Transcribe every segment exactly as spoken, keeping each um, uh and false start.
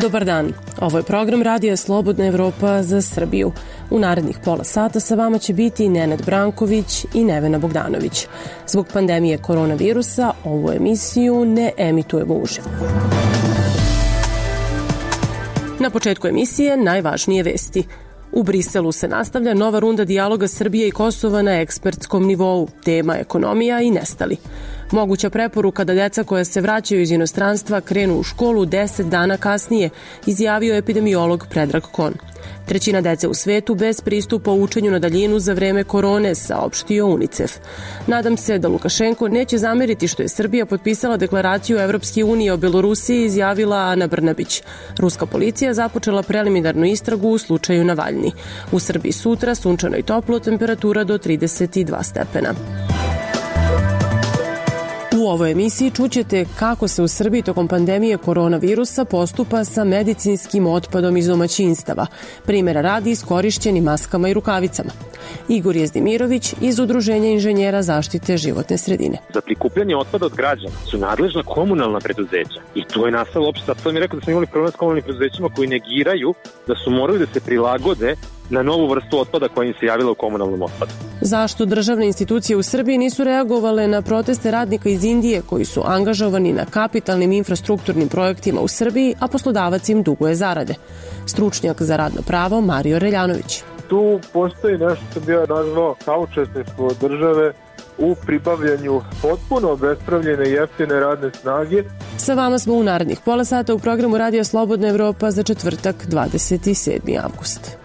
Dobar dan, ovo je program Radija Slobodna Evropa za Srbiju. U narednih pola sata sa vama će biti Nenad Branković i Nevena Bogdanović. Zbog pandemije koronavirusa ovu emisiju ne emitujemo uživo. Na početku emisije najvažnije vesti. U Briselu se nastavlja nova runda dijaloga Srbije i Kosova na ekspertskom nivou, tema ekonomija i nestali. Moguća preporuka da deca koja se vraćaju iz inostranstva krenu u školu deset dana kasnije, izjavio je epidemiolog Predrag Kon. Trećina dece u svetu bez pristupa učenju na daljinu za vreme korone, saopštio UNICEF. Nadam se da Lukašenko neće zameriti što je Srbija potpisala deklaraciju Evropske unije o Belorusiji, izjavila Ana Brnabić. Ruska policija započela preliminarnu istragu u slučaju Navalni. U Srbiji sutra sunčano i toplo, temperatura do trideset dva stepena. U ovoj emisiji čućete kako se u Srbiji tokom pandemije koronavirusa postupa sa medicinskim otpadom iz domaćinstava, primjera radi iskorišćenim maskama i rukavicama. Igor Jezdimirović iz Udruženja inženjera zaštite životne sredine. Za prikupljanje otpada od građana su nadležna komunalna preduzeća i to je nastalo opšte. Sad sam mi rekao da smo imali problem s komunalnim preduzećima koji negiraju da su morali da se prilagode na novu vrstu otpada koja im se javila u komunalnom otpadu. Zašto državne institucije u Srbiji nisu reagovale na proteste radnika iz Indije koji su angažovani na kapitalnim infrastrukturnim projektima u Srbiji, a poslodavac im duguje zarade? Stručnjak za radno pravo Mario Reljanović. Tu postoji nešto što bi ja nazvao saučesništvo države u pribavljanju potpuno obespravljene jeftine radne snage. Sa vama smo u narednih pola sata u programu Radija Slobodna Evropa za četvrtak dvadeset sedmi avgust.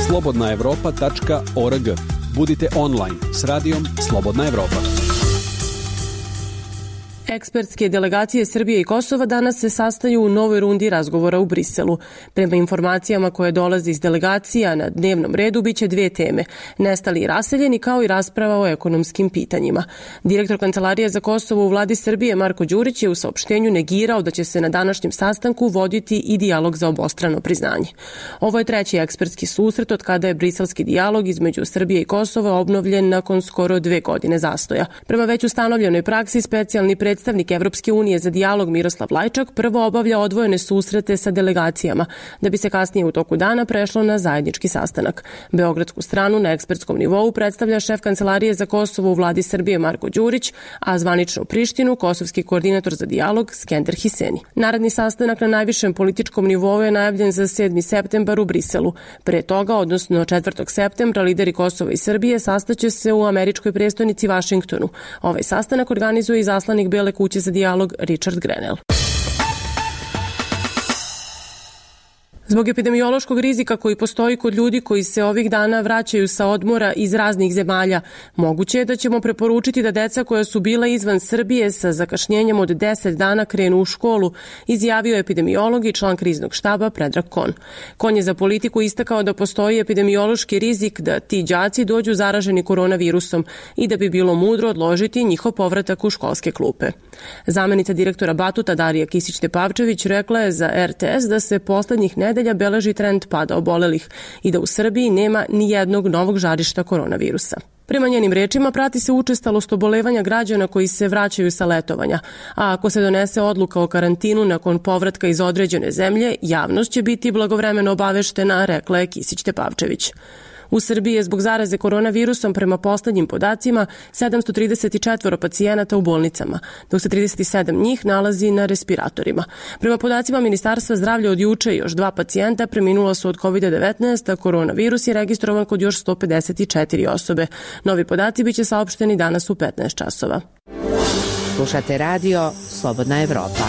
slobodna evropa tačka org. Budite online s radijom Slobodna Evropa. Ekspertske delegacije Srbije i Kosova danas se sastaju u novoj rundi razgovora u Briselu. Prema informacijama koje dolaze iz delegacija, na dnevnom redu biće dve teme, nestali i raseljeni, kao i rasprava o ekonomskim pitanjima. Direktor Kancelarije za Kosovo u vladi Srbije Marko Đurić je u saopštenju negirao da će se na današnjem sastanku voditi i dijalog za obostrano priznanje. Ovo je treći ekspertski susret od kada je briselski dijalog između Srbije i Kosova obnovljen nakon skoro dve godine zastoja. Prema već ustanovljenoj praksi, specijalni predstavnik Predstavnik Evropske unije za dijalog Miroslav Lajčak prvo obavlja odvojene susrete sa delegacijama, da bi se kasnije u toku dana prešlo na zajednički sastanak. Beogradsku stranu na ekspertskom nivou predstavlja šef Kancelarije za Kosovo u vladi Srbije Marko Đurić, a zvanično u Prištinu kosovski koordinator za dijalog Skender Hiseni. Naredni sastanak na najvišem političkom nivou je najavljen za sedmi septembar u Briselu. Pre toga, odnosno četvrtog septembra, lideri Kosova i Srbije sastaće se u američkoj prestonici Vašingtonu. Ovaj sastanak organizuje izaslanik Bele kuće za dijalog Richard Grenell. Zbog epidemiološkog rizika koji postoji kod ljudi koji se ovih dana vraćaju sa odmora iz raznih zemalja, moguće je da ćemo preporučiti da deca koja su bila izvan Srbije sa zakašnjenjem od deset dana krenu u školu, izjavio epidemiolog i član kriznog štaba Predrag Kon. Kon je za Politiku istakao da postoji epidemiološki rizik da ti đaci dođu zaraženi koronavirusom i da bi bilo mudro odložiti njihov povratak u školske klupe. Zamenica direktora Batuta Darija Kisić-Tepavčević rekla je za er te es da se poslednjih nedelja beleži trend pada obolelih i da u Srbiji nema ni jednog novog žarišta koronavirusa. Prema njenim rečima prati se učestalost obolevanja građana koji se vraćaju sa letovanja, a ako se donese odluka o karantinu nakon povratka iz određene zemlje, javnost će biti blagovremeno obaveštena, rekla je Kisić-Tepavčević. U Srbiji je zbog zaraze koronavirusom prema poslednjim podacima sedamsto trideset četiri pacijenata u bolnicama, dok se trideset sedam njih nalazi na respiratorima. Prema podacima Ministarstva zdravlja od juče još dva pacijenta preminula su od kovid devetnaest, a koronavirus je registrovan kod još sto pedeset četiri osobe. Novi podaci biće saopšteni danas u petnaest časova. Slušate radio Slobodna Evropa.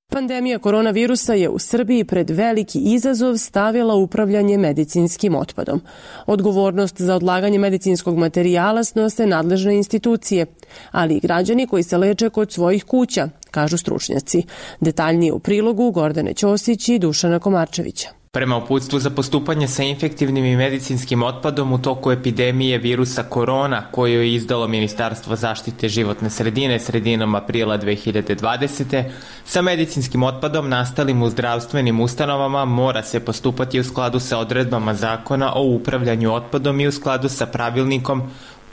Pandemija koronavirusa je u Srbiji pred veliki izazov stavila upravljanje medicinskim otpadom. Odgovornost za odlaganje medicinskog materijala snose nadležne institucije, ali i građani koji se leče kod svojih kuća, kažu stručnjaci. Detaljnije u prilogu Gordane Ćosić i Dušana Komarčevića. Prema uputstvu za postupanje sa infektivnim i medicinskim otpadom u toku epidemije virusa korona, koju je izdalo Ministarstvo zaštite životne sredine sredinom aprila dve hiljade dvadesete. sa medicinskim otpadom nastalim u zdravstvenim ustanovama mora se postupati u skladu sa odredbama Zakona o upravljanju otpadom i u skladu sa pravilnikom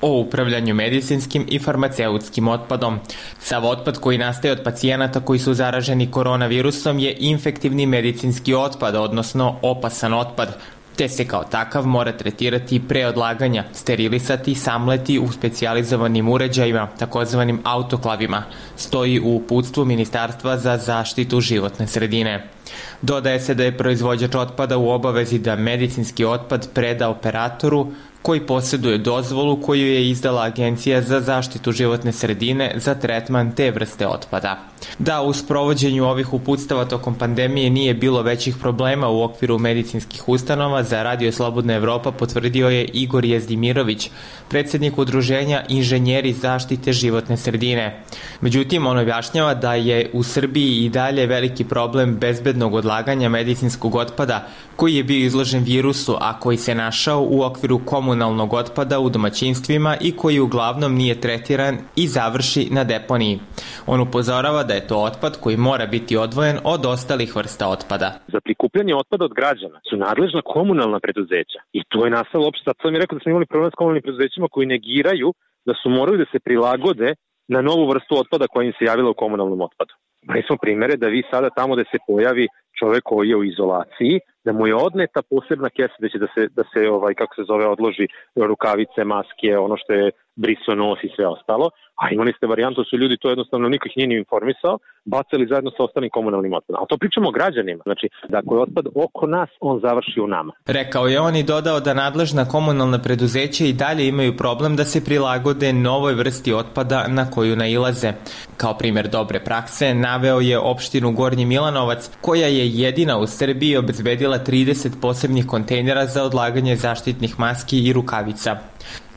o upravljanju medicinskim i farmaceutskim otpadom. Sav otpad koji nastaje od pacijenata koji su zaraženi koronavirusom je infektivni medicinski otpad, odnosno opasan otpad, te se kao takav mora tretirati pre odlaganja, sterilisati, samleti u specijalizovanim uređajima, takozvanim autoklavima, stoji u uputstvu Ministarstva za zaštitu životne sredine. Dodaje se da je proizvođač otpada u obavezi da medicinski otpad preda operatoru koji posjeduje dozvolu koju je izdala Agencija za zaštitu životne sredine za tretman te vrste otpada. Da u sprovođenju ovih uputstava tokom pandemije nije bilo većih problema u okviru medicinskih ustanova, za Radio Slobodna Evropa potvrdio je Igor Jezdimirović, predsjednik udruženja Inženjeri zaštite životne sredine. Međutim, on objašnjava da je u Srbiji i dalje veliki problem bezbednog odlaganja medicinskog otpada koji je bio izložen virusu, a koji se našao u okviru komunalnog otpada u domaćinstvima i koji uglavnom nije tretiran i završi na deponiji. On upozorava da je to otpad koji mora biti odvojen od ostalih vrsta otpada. Za prikupljanje otpada od građana su nadležna komunalna preduzeća i to je nastalo opšte. Sad sam je rekao da smo imali problem s komunalnim preduzećima koji negiraju da su morali da se prilagode na novu vrstu otpada koja im se javila u komunalnom otpadu. Imali smo primere da vi sada tamo da se pojavi čovek koji je u izolaciji, da mu je odneta posebna kesa da će da se, da se ovaj, kako se zove, odloži rukavice, maske, ono što je briso nos i sve ostalo. A imali ste varijantu, su ljudi to jednostavno niko ih nije ni informisao, bacali zajedno sa ostalim komunalnim otpadom. A to pričamo o građanima. Znači, da ako je otpad oko nas, on završi u nama. Rekao je on i dodao da nadležna komunalna preduzeća i dalje imaju problem da se prilagode novoj vrsti otpada na koju nailaze. Kao primjer dobre prakse naveo je opštinu Gornji Milanovac, koja je jedina u Srbiji obezbedila trideset posebnih kontejnera za odlaganje zaštitnih maski i rukavica.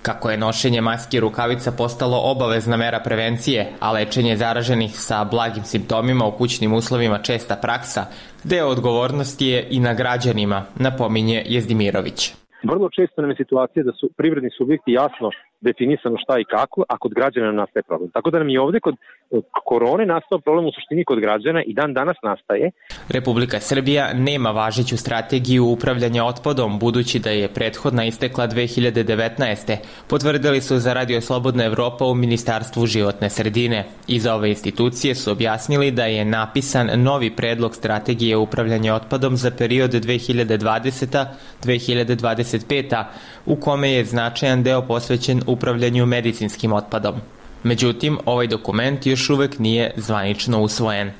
Kako je nošenje maski i rukavica postalo obavezna mera prevencije, a lečenje zaraženih sa blagim simptomima u kućnim uslovima česta praksa, deo odgovornosti je i na građanima, napominje Jezdimirović. Vrlo često nam je situacija da su privredni subjekti jasno definisano šta i kako, a kod građana nam nastaje problem. Tako da nam i ovde kod korone nastao problem u suštini kod građana i dan danas nastaje. Republika Srbija nema važeću strategiju upravljanja otpadom, budući da je prethodna istekla dve hiljade devetnaeste. Potvrdili su za Radio Slobodna Evropa u Ministarstvu životne sredine. Iz ove institucije su objasnili da je napisan novi predlog strategije upravljanja otpadom za period dve hiljade dvadeseta do dve hiljade dvadeset peta, u kome je značajan deo posvećen upravljanju medicinskim otpadom. Međutim, ovaj dokument još uvek nije zvanično usvojen.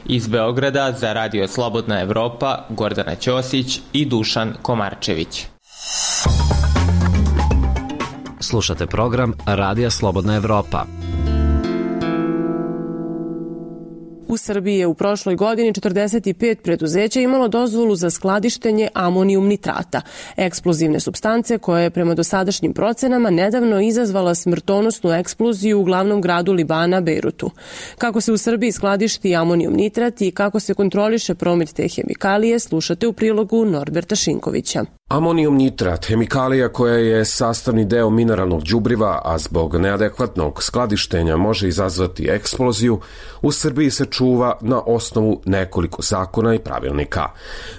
Iz Beograda za Radio Slobodna Evropa, Gordana Ćosić i Dušan Komarčević. Slušate program Radija Slobodna Evropa. U Srbiji je u prošloj godini četrdeset pet preduzeća imalo dozvolu za skladištenje amonijum nitrata, eksplozivne supstance koja je prema dosadašnjim procenama nedavno izazvala smrtonosnu eksploziju u glavnom gradu Libana, Bejrutu. Kako se u Srbiji skladišti amonijum nitrat i kako se kontroliše promet te hemikalije, slušate u prilogu Norberta Šinkovića. Amonijum nitrat, hemikalija koja je sastavni deo mineralnog đubriva, a zbog neadekvatnog skladištenja može izazvati eksploziju, u Srbiji se čuva na osnovu nekoliko zakona i pravilnika.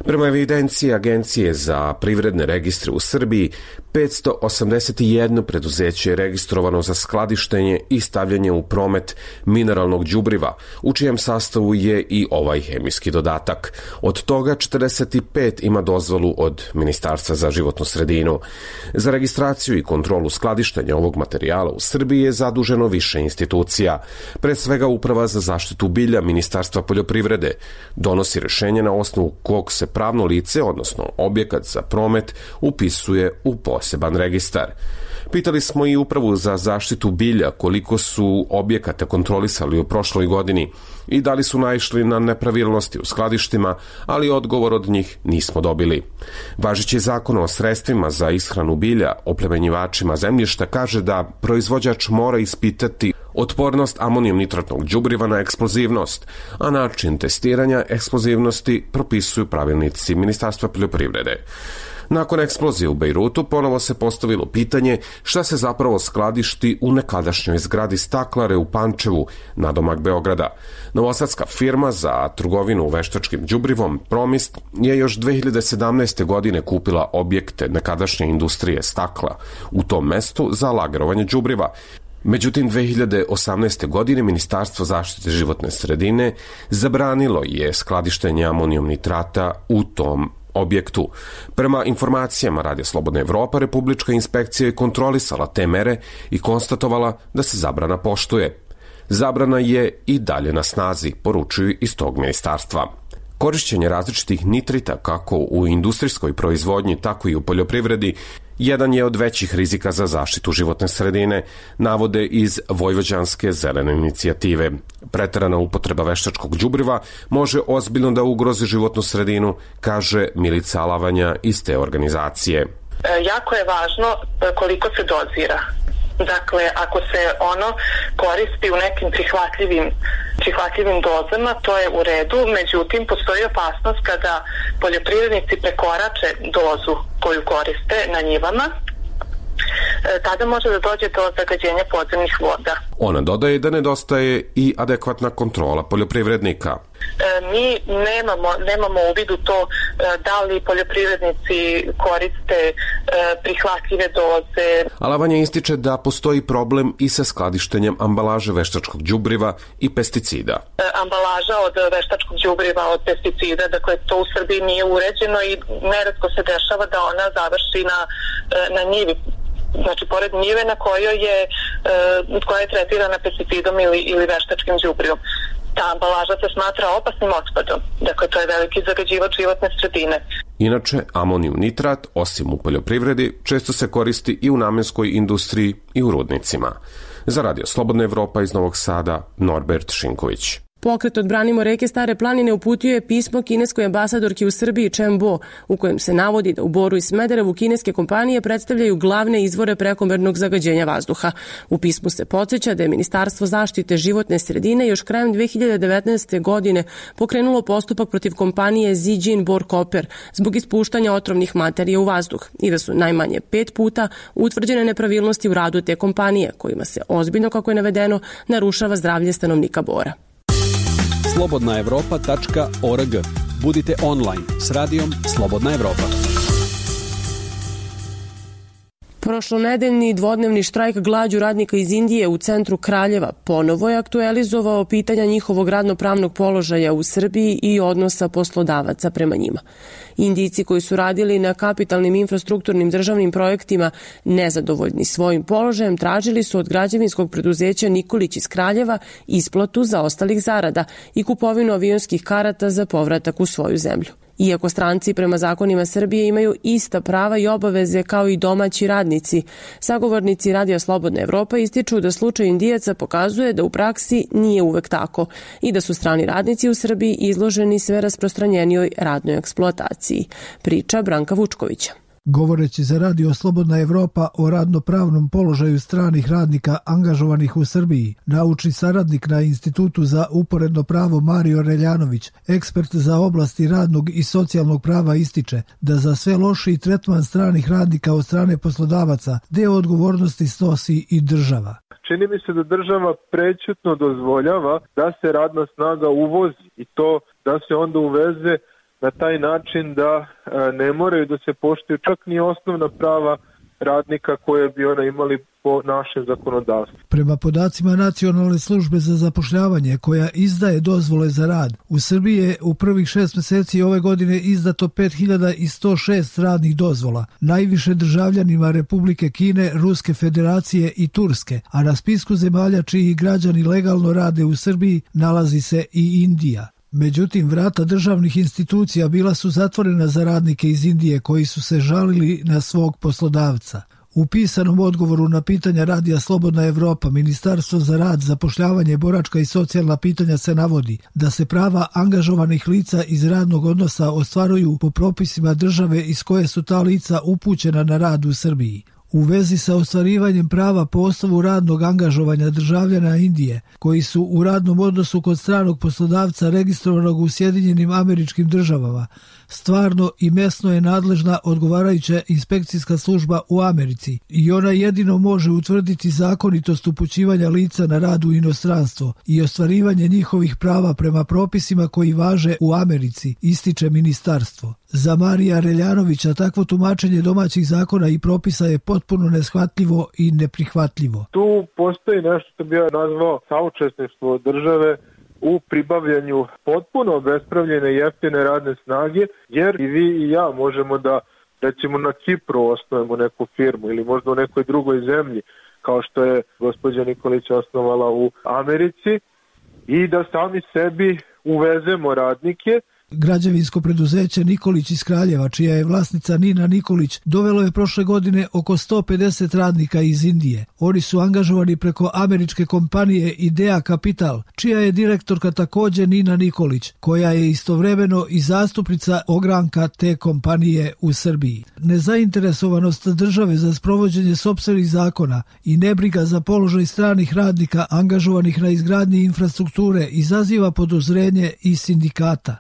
Prema evidenciji Agencije za privredne registre u Srbiji, petsto osamdeset jedno preduzeće je registrovano za skladištenje i stavljanje u promet mineralnog đubriva, u čijem sastavu je i ovaj hemijski dodatak. Od toga četrdeset pet ima dozvolu od Ministarstva za životnu sredinu. Za registraciju i kontrolu skladištenja ovog materijala u Srbiji je zaduženo više institucija. Pre svega Uprava za zaštitu bilja Ministarstva poljoprivrede donosi rešenje na osnovu kog se pravno lice, odnosno objekat za promet, upisuje u poseban registar. Pitali smo i Upravu za zaštitu bilja koliko su objekata kontrolisali u prošloj godini i da li su naišli na nepravilnosti u skladištima, ali odgovor od njih nismo dobili. Važeći zakon o sredstvima za ishranu bilja oplemenjivačima zemljišta kaže da proizvođač mora ispitati otpornost amonijum nitratnog đubriva na eksplozivnost, a način testiranja eksplozivnosti propisuju pravilnici Ministarstva poljoprivrede. Nakon eksplozije u Bejrutu ponovo se postavilo pitanje šta se zapravo skladišti u nekadašnjoj zgradi Staklare u Pančevu, nadomak Beograda. Novosadska firma za trgovinu veštačkim đubrivom Promist je još dve hiljade sedamnaeste. godine kupila objekte nekadašnje industrije stakla u tom mestu za lagerovanje đubriva. Međutim, dve hiljade osamnaeste. godine Ministarstvo zaštite životne sredine zabranilo je skladištenje amonijum nitrata u tom objektu. Prema informacijama Radija Slobodna Evropa, Republička inspekcija je kontrolisala te mere i konstatovala da se zabrana poštuje. Zabrana je i dalje na snazi, poručuju iz tog ministarstva. Korišćenje različitih nitrita kako u industrijskoj proizvodnji, tako i u poljoprivredi jedan je od većih rizika za zaštitu životne sredine, navode iz Vojvođanske zelene inicijative. Preterana upotreba veštačkog đubriva može ozbiljno da ugrozi životnu sredinu, kaže Milica Alavanja iz te organizacije. Jako je važno koliko se dozira. Dakle, ako se ono koristi u nekim prihvatljivim, prihvatljivim dozama, to je u redu, međutim, postoji opasnost kada poljoprivrednici prekorače dozu koju koriste na njivama, tada može da dođe do zagađenja podzemnih voda. Ona dodaje da nedostaje i adekvatna kontrola poljoprivrednika. Mi nemamo, nemamo uvid u to da li poljoprivrednici koriste prihvatljive doze. Alavanja ističe da postoji problem i sa skladištenjem ambalaže veštačkog đubriva i pesticida. Ambalaža od veštačkog đubriva, od pesticida, dakle to u Srbiji nije uređeno i neretko se dešava da ona završi na, na njivi. Znači, pored njive na kojoj je, koja je tretirana pesticidom ili, ili veštačkim đubrivom. Ta ambalaža se smatra opasnim otpadom. Dakle, to je veliki zagađivač životne sredine. Inače, amonijum nitrat, osim u poljoprivredi, često se koristi i u namenskoj industriji i u rudnicima. Za Radio Slobodna Evropa iz Novog Sada, Norbert Šinković. Pokret Odbranimo reke Stare planine uputio je pismo kineskoj ambasadorki u Srbiji Chen Bo, u kojem se navodi da u Boru i Smederevu kineske kompanije predstavljaju glavne izvore prekomernog zagađenja vazduha. U pismu se podsjeća da je Ministarstvo zaštite životne sredine još krajem dve hiljade devetnaeste. godine pokrenulo postupak protiv kompanije Zijin Bor Copper zbog ispuštanja otrovnih materija u vazduh i da su najmanje pet puta utvrđene nepravilnosti u radu te kompanije, kojima se ozbiljno, kako je navedeno, narušava zdravlje stanovnika Bora. slobodna evropa tačka org. Budite online s radijom Slobodna Evropa. Prošlonedeljni dvodnevni štrajk glađu radnika iz Indije u centru Kraljeva ponovo je aktualizovao pitanja njihovog radnopravnog položaja u Srbiji i odnosa poslodavaca prema njima. Indijci koji su radili na kapitalnim infrastrukturnim državnim projektima nezadovoljni svojim položajem tražili su od građevinskog preduzeća Nikolić iz Kraljeva isplatu zaostalih zarada i kupovinu avionskih karata za povratak u svoju zemlju. Iako stranci prema zakonima Srbije imaju ista prava i obaveze kao i domaći radnici, sagovornici Radija Slobodna Evropa ističu da slučaj Indijaca pokazuje da u praksi nije uvek tako i da su strani radnici u Srbiji izloženi sve rasprostranjenijoj radnoj eksploataciji. Priča Branka Vučkovića. Govoreći za Radio Slobodna Evropa o radnopravnom položaju stranih radnika angažovanih u Srbiji, naučni saradnik na Institutu za uporedno pravo Mario Reljanović, ekspert za oblasti radnog i socijalnog prava, ističe da za sve lošiji tretman stranih radnika od strane poslodavaca deo odgovornosti snosi i država. Čini mi se da država prećutno dozvoljava da se radna snaga uvozi i to da se onda uveze na taj način da ne moraju da se poštuju čak ni osnovna prava radnika koje bi ona imali po našem zakonodavstvu. Prema podacima Nacionalne službe za zapošljavanje koja izdaje dozvole za rad, u Srbiji je u prvih šest meseci ove godine izdato pet hiljada sto šest radnih dozvola, najviše državljanima Republike Kine, Ruske Federacije i Turske, a na spisku zemalja čiji građani legalno rade u Srbiji nalazi se i Indija. Međutim, vrata državnih institucija bila su zatvorena za radnike iz Indije koji su se žalili na svog poslodavca. U pisanom odgovoru na pitanja Radija Slobodna Evropa, Ministarstvo za rad, zapošljavanje, boračka i socijalna pitanja se navodi da se prava angažovanih lica iz radnog odnosa ostvaruju po propisima države iz koje su ta lica upućena na rad u Srbiji. U vezi sa ostvarivanjem prava po osnovu radnog angažovanja državljana Indije, koji su u radnom odnosu kod stranog poslodavca registrovanog u Sjedinjenim Američkim Državama, Stvarno i mesno je nadležna odgovarajuća inspekcijska služba u Americi i ona jedino može utvrditi zakonitost upućivanja lica na rad u inostranstvo i ostvarivanje njihovih prava prema propisima koji važe u Americi, ističe ministarstvo. Za Marija Reljanovića takvo tumačenje domaćih zakona i propisa je potpuno neshvatljivo i neprihvatljivo. Tu postoji nešto što bi ja nazvao saučesništvo države u pribavljanju potpuno obespravljene jeftine radne snage, jer i vi i ja možemo da, recimo na Kipru osnovimo neku firmu ili možda u nekoj drugoj zemlji, kao što je gospođa Nikolić osnovala u Americi, i da sami sebi uvezemo radnike. Građevinsko preduzeće Nikolić iz Kraljeva, čija je vlasnica Nina Nikolić, dovelo je prošle godine oko sto pedeset radnika iz Indije. Oni su angažovani preko američke kompanije Idea Capital, čija je direktorka također Nina Nikolić, koja je istovremeno i zastupnica ogranka te kompanije u Srbiji. Nezainteresovanost države za sprovođenje sopstvenih zakona i nebriga za položaj stranih radnika angažovanih na izgradnji infrastrukture izaziva podozrenje i sindikata.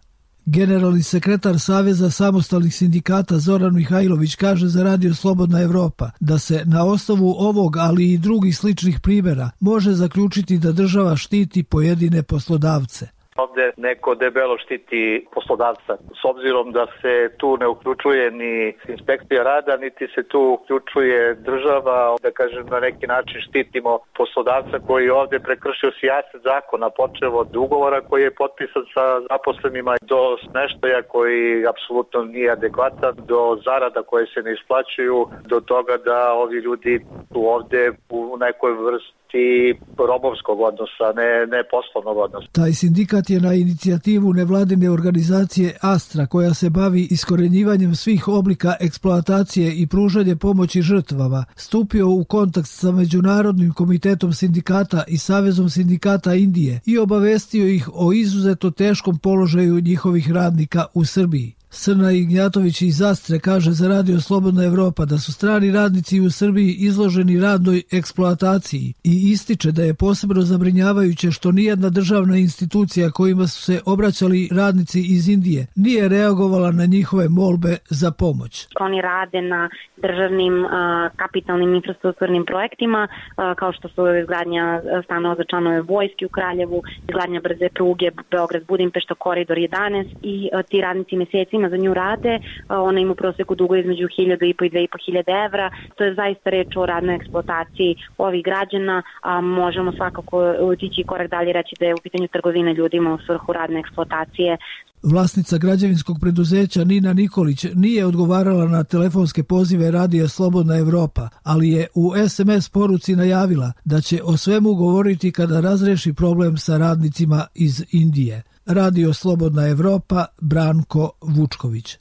Generalni sekretar Saveza samostalnih sindikata Zoran Mihajlović kaže za Radio Slobodna Evropa da se na osnovu ovog, ali i drugih sličnih primjera može zaključiti da država štiti pojedine poslodavce. Ovde neko debelo štiti poslodavca, s obzirom da se tu ne uključuje ni inspekcija rada, niti se tu uključuje država, da kažem na neki način štitimo poslodavca koji ovde prekršio sijaset zakona, počev od ugovora koji je potpisan sa zaposlenima do smeštaja koji apsolutno nije adekvatan, do zarada koje se ne isplaćuju, do toga da ovi ljudi su ovde u nekoj vrsti i robovskog odnosa, ne, ne poslovnog odnosa. Taj sindikat je na inicijativu nevladine organizacije Astra, koja se bavi iskorenjivanjem svih oblika eksploatacije i pružanje pomoći žrtvama, stupio u kontakt sa Međunarodnim komitetom sindikata i Savezom sindikata Indije i obavestio ih o izuzetno teškom položaju njihovih radnika u Srbiji. Srna Ignjatović iz Astre kaže za Radio Slobodna Evropa da su strani radnici u Srbiji izloženi radnoj eksploataciji i ističe da je posebno zabrinjavajuće što nijedna državna institucija kojima su se obraćali radnici iz Indije nije reagovala na njihove molbe za pomoć. Oni rade na državnim a, kapitalnim infrastrukturnim projektima a, kao što su izgradnja stanova za članove vojske u Kraljevu, izgradnja brze pruge Beograd-Budimpešta, koridor jedanaest i a, ti radnici mesecima za nju rade, ona ima u proseku dugo između hiljadu i po i dve i po hiljade evra. To je zaista reč o radnoj eksploataciji ovih građana, a možemo svakako otići korak dalje reći da je u pitanju trgovine ljudima u svrhu radne eksploatacije. Vlasnica građevinskog preduzeća Nina Nikolić nije odgovarala na telefonske pozive Radija Slobodna Evropa, ali je u es em es poruci najavila da će o svemu govoriti kada razreši problem sa radnicima iz Indije. Radio Slobodna Evropa, Branko Vučković.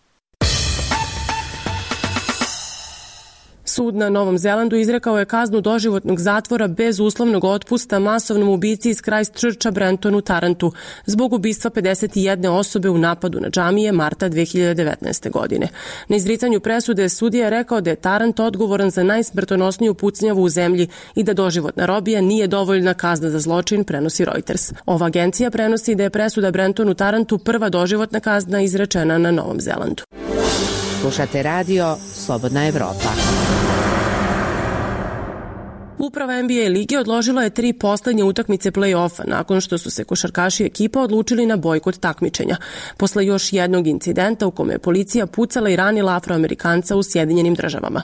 Sud na Novom Zelandu izrekao je kaznu doživotnog zatvora bez uslovnog otpusta masovnom ubici iz Christchurcha Brentonu Tarantu zbog ubistva pedeset jedne osobe u napadu na džamije marta dve hiljade devetnaeste. godine. Na izricanju presude sudija je rekao da je Tarant odgovoran za najsmrtonosniju pucnjavu u zemlji i da doživotna robija nije dovoljna kazna za zločin, prenosi Reuters. Ova agencija prenosi da je presuda Brentonu Tarantu prva doživotna kazna izrečena na Novom Zelandu. Slušate Radio Slobodna Evropa. Uprava en be a lige odložila je tri poslednje utakmice play-offa nakon što su se košarkaši ekipa odlučili na bojkot takmičenja. Posle još jednog incidenta u kome je policija pucala i ranila Afroamerikanca u Sjedinjenim državama.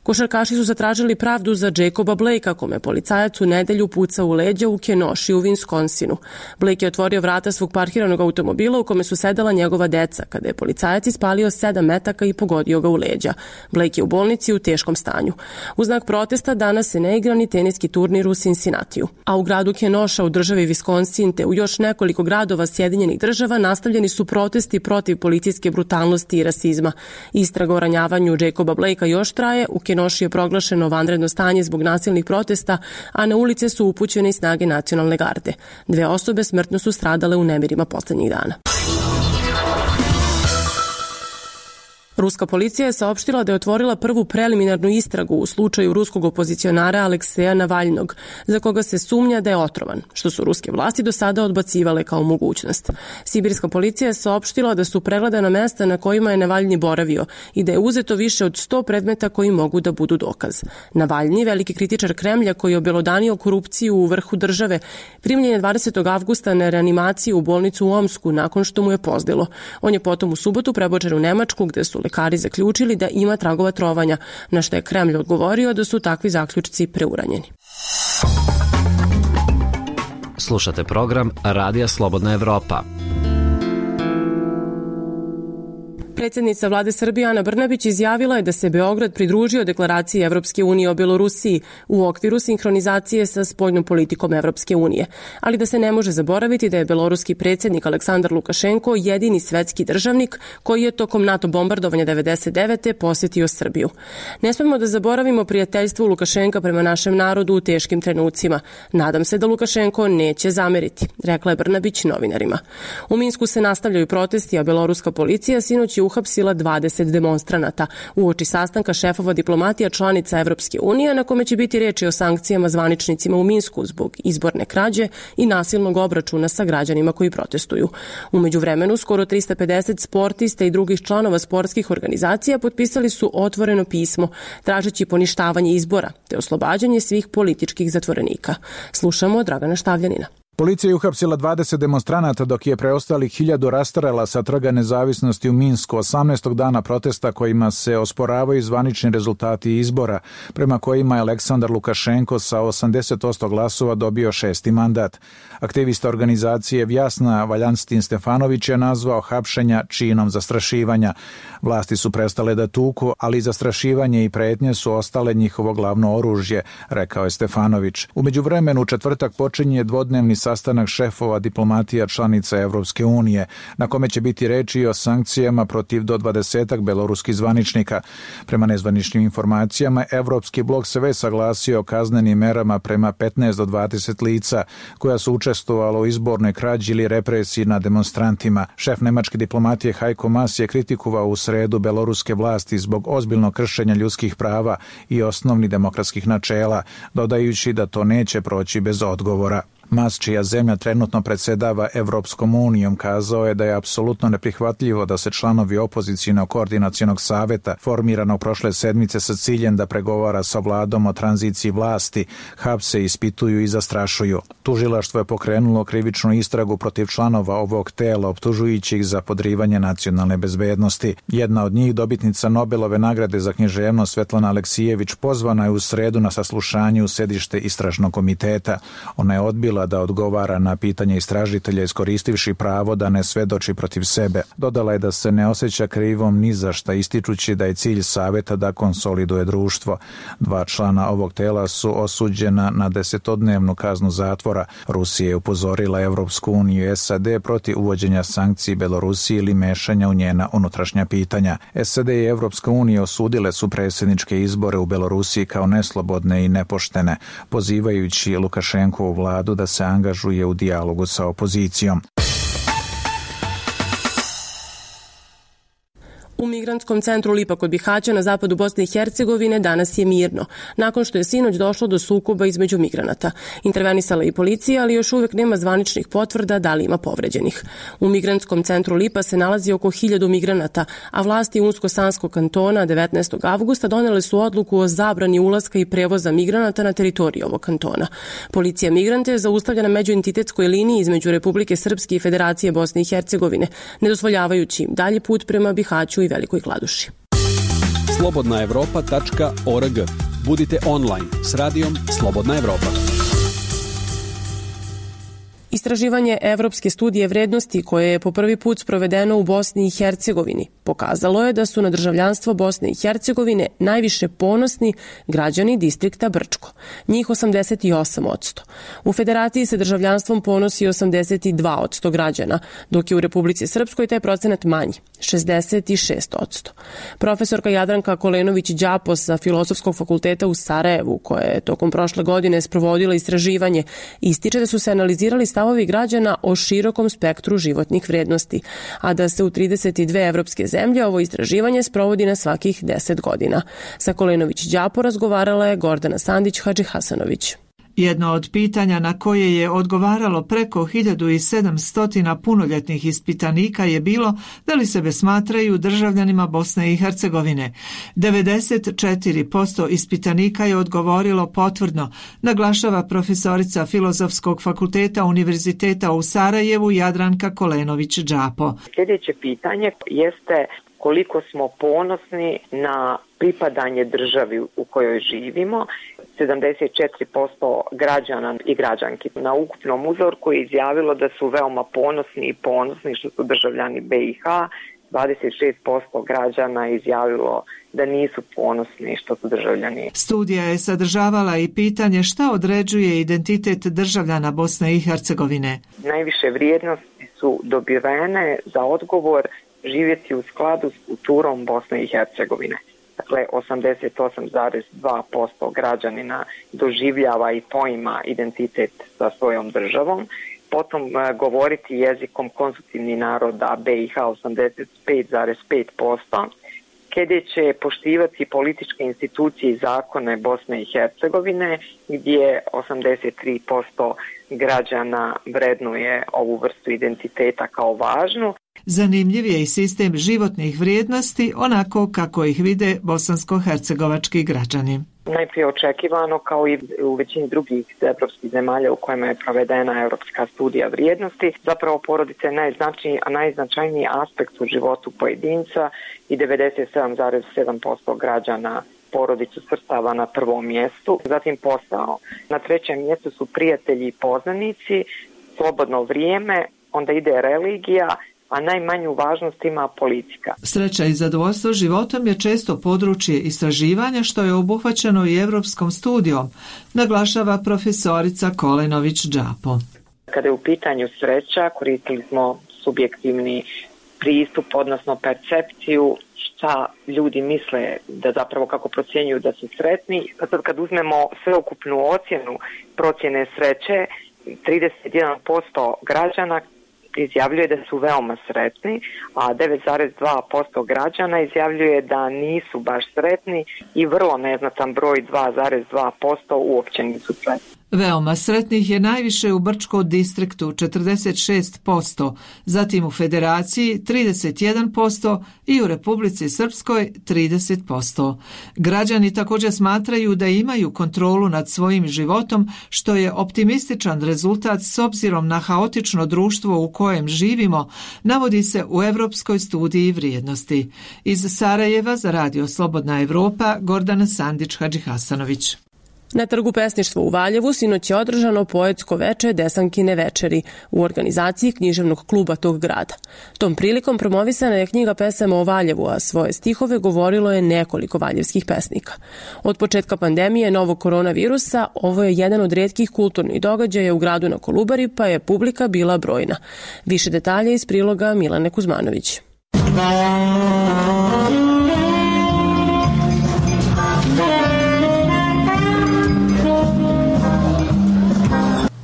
Košarkaši su zatražili pravdu za Jacoba Blakea, kome policajac u nedelju pucao u leđa u Kenosha u Wisconsinu. Blake je otvorio vrata svog parkiranog automobila u kome su sedela njegova deca, kada je policajac ispalio sedam metaka i pogodio ga u leđa. Blake je u bolnici u teškom stanju. U znak protesta danas se ne igra ni teniski turnir u Cincinnatiju. A u gradu Kenosha u državi Wisconsin te u još nekoliko gradova Sjedinjenih država nastavljeni su protesti protiv policijske brutalnosti i rasizma. Istraga o ranjavanju Jacoba Blakea još traje. U Kenosha je proglašeno vanredno stanje zbog nasilnih protesta, a na ulice su upućene i snage nacionalne garde. Dve osobe smrtno su stradale u nemirima poslednjih dana. Ruska policija je saopštila da je otvorila prvu preliminarnu istragu u slučaju ruskog opozicionara Alekseja Navalnog, za koga se sumnja da je otrovan, što su ruske vlasti do sada odbacivale kao mogućnost. Sibirska policija je saopštila da su pregledana mesta na kojima je Navalni boravio i da je uzeto više od sto predmeta koji mogu da budu dokaz. Navalni, veliki kritičar Kremlja koji je obelodanio korupciju u vrhu države, primljen je dvadesetog avgusta na reanimaciju u bolnicu u Omsku nakon što mu je pozdilo. On je potom u subotu prebočen u Nemačku gde su lekari zaključili da ima tragova trovanja, na što je Kremlj odgovorio da su takvi zaključci preuranjeni. Slušate program Radija Slobodna Evropa. Predsjednica vlade Srbije Ana Brnabić izjavila je da se Beograd pridružio deklaraciji Evropske unije o Belorusiji u okviru sinhronizacije sa spoljnom politikom Evropske unije, ali da se ne može zaboraviti da je beloruski predsjednik Aleksandar Lukašenko jedini svetski državnik koji je tokom NATO bombardovanja devedeset devete posjetio Srbiju. Ne smemo da zaboravimo prijateljstvo Lukašenka prema našem narodu u teškim trenucima. Nadam se da Lukašenko neće zameriti, rekla je Brnabić novinarima. U Minsku se nastavljaju protesti, a beloruska policija sinoć je uhapsila dvadeset demonstranata uoči sastanka šefova diplomatija članica Evropske unije na kome će biti reči o sankcijama zvaničnicima u Minsku zbog izborne krađe i nasilnog obračuna sa građanima koji protestuju. U međuvremenu skoro trista pedeset sportista i drugih članova sportskih organizacija potpisali su otvoreno pismo tražeći poništavanje izbora te oslobađanje svih političkih zatvorenika. Slušamo Dragana Štavljanina. Policija je uhapsila dvadeset demonstranata dok je preostalih hiljadu rastrela sa Trga nezavisnosti u Minsku osamnaestog dana protesta kojima se osporavaju zvanični rezultati izbora, prema kojima je Aleksandar Lukašenko sa osamdeset posto glasova dobio šesti mandat. Aktivista organizacije Vjasna Valjanstin Stefanović je nazvao hapšenja činom zastrašivanja. Vlasti su prestale da tuku, ali zastrašivanje i pretnje su ostale njihovo glavno oružje, rekao je Stefanović. U međuvremenu u četvrtak počinje dvodnevni sastanak šefova diplomatija članica Evropske unije, na kome će biti reči o sankcijama protiv do dvadesetak beloruskih zvaničnika. Prema nezvaničnim informacijama, Evropski blok se već saglasio o kaznenim merama prema petnaest do dvadeset lica koja su učestvovala u izbornoj krađi ili represiji nad demonstrantima. Šef nemačke diplomatije Heiko Maas je kritikovao u sredu beloruske vlasti zbog ozbiljnog kršenja ljudskih prava i osnovnih demokratskih načela, dodajući da to neće proći bez odgovora. Mas, čija zemlja trenutno predsedava Evropskom unijom, kazao je da je apsolutno neprihvatljivo da se članovi opozicijnog koordinacionog saveta, formiranog prošle sedmice sa ciljem da pregovara sa vladom o tranziciji vlasti, hapse, ispituju i zastrašuju. Tužilaštvo je pokrenulo krivičnu istragu protiv članova ovog tela, optužujući ih za podrivanje nacionalne bezbednosti. Jedna od njih, dobitnica Nobelove nagrade za književnost Svetlana Aleksijević, pozvana je u sredu na saslušanje u sedište istražnog komiteta. Ona je odbila da odgovara na pitanje istražitelja iskoristivši pravo da ne svedoči protiv sebe. Dodala je da se ne osjeća krivom ni za šta, ističući da je cilj saveta da konsoliduje društvo. Dva člana ovog tela su osuđena na desetodnevnu kaznu zatvora. Rusija je upozorila Evropsku uniju i S A D protiv uvođenja sankciji Belorusiji ili mešanja u njena unutrašnja pitanja. S A D i Evropska unija osudile su predsjedničke izbore u Belorusiji kao neslobodne i nepoštene, pozivajući Lukašenkovu vladu da se angažuje u dijalogu sa opozicijom. U migrantskom centru Lipa kod Bihaća na zapadu Bosne i Hercegovine danas je mirno, nakon što je sinoć došlo do sukoba između migranata. Intervenisala i policija, ali još uvek nema zvaničnih potvrda da li ima povređenih. U migrantskom centru Lipa se nalazi oko hiljadu migranata, a vlasti Unsko-Sanskog kantona devetnaestog avgusta donele su odluku o zabrani ulaska i prevoza migranata na teritoriju ovog kantona. Policija migrante je zaustavljena na međuentitetskoj liniji između Republike Srpske i Federacije Bosne i Hercegovine, ne dozvoljavajući im dalji put prema Bihaću i Velikoj Kladuši. slobodna evropa tačka org. Budite online s radijom Slobodna Evropa. Istraživanje Evropske studije vrednosti koje je po prvi put sprovedeno u Bosni i Hercegovini pokazalo je da su na državljanstvo Bosne i Hercegovine najviše ponosni građani distrikta Brčko, njih osamdeset osam posto. U Federaciji se državljanstvom ponosi osamdeset dva posto građana, dok je u Republici Srpskoj taj procenat manji, šezdeset šest posto. Profesorka Jadranka Kolenović-Đapos sa Filozofskog fakulteta u Sarajevu, koja je tokom prošle godine sprovodila istraživanje, ističe da su se analizirali stavovi stavovi građana o širokom spektru životnih vrednosti, a da se u trideset dve evropske zemlje ovo istraživanje sprovodi na svakih deset godina. Sa Kolenović-Đapo razgovarala je Gordana Sandić-Hadžihasanović. Jedno od pitanja na koje je odgovaralo preko hiljadu sedamsto punoljetnih ispitanika je bilo da li sebe smatraju državljanima Bosne i Hercegovine. devedeset četiri posto ispitanika je odgovorilo potvrdno, naglašava profesorica Filozofskog fakulteta Univerziteta u Sarajevu Jadranka Kolenović-Đapo. Sljedeće pitanje jeste koliko smo ponosni na pripadanje državi u kojoj živimo. sedamdeset četiri posto građana i građanki na ukupnom uzorku je izjavilo da su veoma ponosni i ponosni što su državljani B i H. dvadeset šest posto građana je izjavilo da nisu ponosni što su državljani. Studija je sadržavala i pitanje šta određuje identitet državljana Bosne i Hercegovine. Najviše vrijednosti su dobivene za odgovor živjeti u skladu s kulturom Bosne i Hercegovine. Dakle, osamdeset osam zarez dva posto građanina doživljava i poima identitet sa svojom državom. Potom govoriti jezikom konstitutivnih naroda B i H osamdeset pet zarez pet posto. Kada će poštivati političke institucije i zakone Bosne i Hercegovine, gdje osamdeset tri posto građana vrednuje ovu vrstu identiteta kao važnu. Zanimljiv je i sistem životnih vrijednosti, onako kako ih vide bosansko-hercegovački građani. Najprije očekivano, kao i u većini drugih evropskih zemalja u kojima je provedena evropska studija vrijednosti, zapravo porodica je najznačajniji, a najznačajniji aspekt u životu pojedinca i devedeset sedam zarez sedam posto građana porodicu svrstava na prvom mjestu, zatim posao. Na trećem mjestu su prijatelji i poznanici, slobodno vrijeme, onda ide religija, a najmanju važnost ima politika. Sreća i zadovoljstvo životom je često područje istraživanja što je obuhvaćeno i evropskom studijom, naglašava profesorica Kolenović-Đapo. Kada je u pitanju sreća, koristili smo subjektivni pristup, odnosno percepciju šta ljudi misle da zapravo kako procjenjuju da su sretni. Sad kad uzmemo sveukupnu ocjenu procjene sreće, trideset jedan posto građana izjavljuje da su veoma sretni, a devet zarez dva posto građana izjavljuje da nisu baš sretni i vrlo neznatan broj dva zarez dva posto uopće nisu sretni. Veoma sretnih je najviše u Brčkom distriktu četrdeset šest posto, zatim u Federaciji trideset jedan posto i u Republici Srpskoj trideset posto. Građani također smatraju da imaju kontrolu nad svojim životom, što je optimističan rezultat s obzirom na haotično društvo u kojem živimo, navodi se u Evropskoj studiji vrijednosti. Iz Sarajeva za Radio Slobodna Evropa, Gordana Sandić-Hadžihasanović. Na Trgu pesništva u Valjevu sinoć je održano poetsko veče Desankine večeri u organizaciji književnog kluba tog grada. Tom prilikom promovisana je knjiga pesama o Valjevu, a svoje stihove govorilo je nekoliko valjevskih pesnika. Od početka pandemije novog koronavirusa ovo je jedan od retkih kulturnih događaja u gradu na Kolubari, pa je publika bila brojna. Više detalje iz priloga Milane Kuzmanović.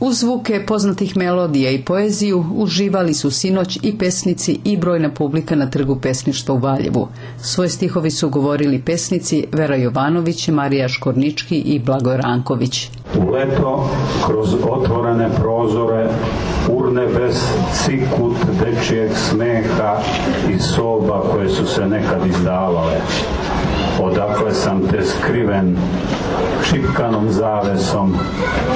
Uz zvuke poznatih melodija i poeziju uživali su sinoć i pesnici i brojna publika na Trgu pesništva u Valjevu. Svoje stihovi su govorili pesnici Vera Jovanović, Marija Škornički i Blagoje Ranković. U leto, kroz otvorene prozore, urne bez cikut dečijeg smeha i soba koje su se nekad izdavale. Odakle sam te skriven šipkanom zavesom,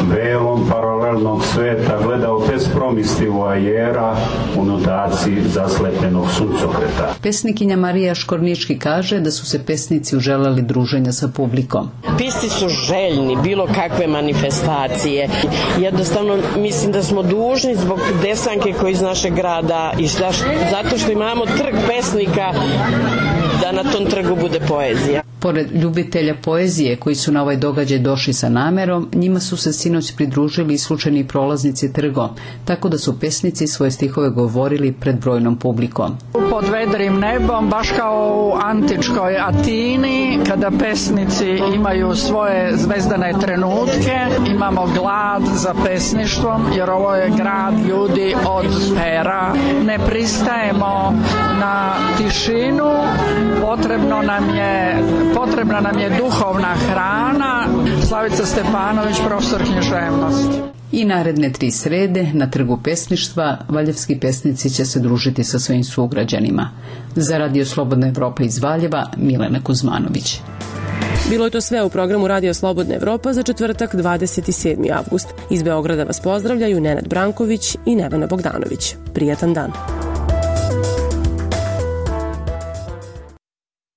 velom paralelnog sveta gledao bez promislivu ajera u notaciji zaslepljenog suncokreta. Pesnikinja Marija Škornički kaže da su se pesnici uželeli druženja sa publikom. Pisci su željni bilo kakve manifestacije. Jednostavno mislim da smo dužni zbog Desanke koji iz našeg grada i zato što imamo trg pesnika da na tom trgu bude poezija. Pored ljubitelja poezije koji su na ovaj događaj došli sa namerom, njima su se sinoć pridružili i slučajni prolaznici trgom, tako da su pesnici svoje stihove govorili pred brojnom publikom. Pod vedrim nebom, baš kao u antičkoj Atini, kada pesnici imaju svoje zvezdane trenutke, imamo glad za pesništvom, jer ovo je grad ljudi od pera. Ne pristajemo na tišinu, potrebno nam je Potrebna nam je duhovna hrana. Slavica Stepanović, profesor književnosti. I naredne tri srede na trgu pesništva valjevski pesnici će se družiti sa svojim sugrađanima. Za Radio Slobodna Evropa iz Valjeva, Milena Kuzmanović. Bilo je to sve u programu Radio Slobodna Evropa za četvrtak dvadeset sedmi avgust. Iz Beograda vas pozdravljaju Nenad Branković i Nevena Bogdanović. Prijatan dan.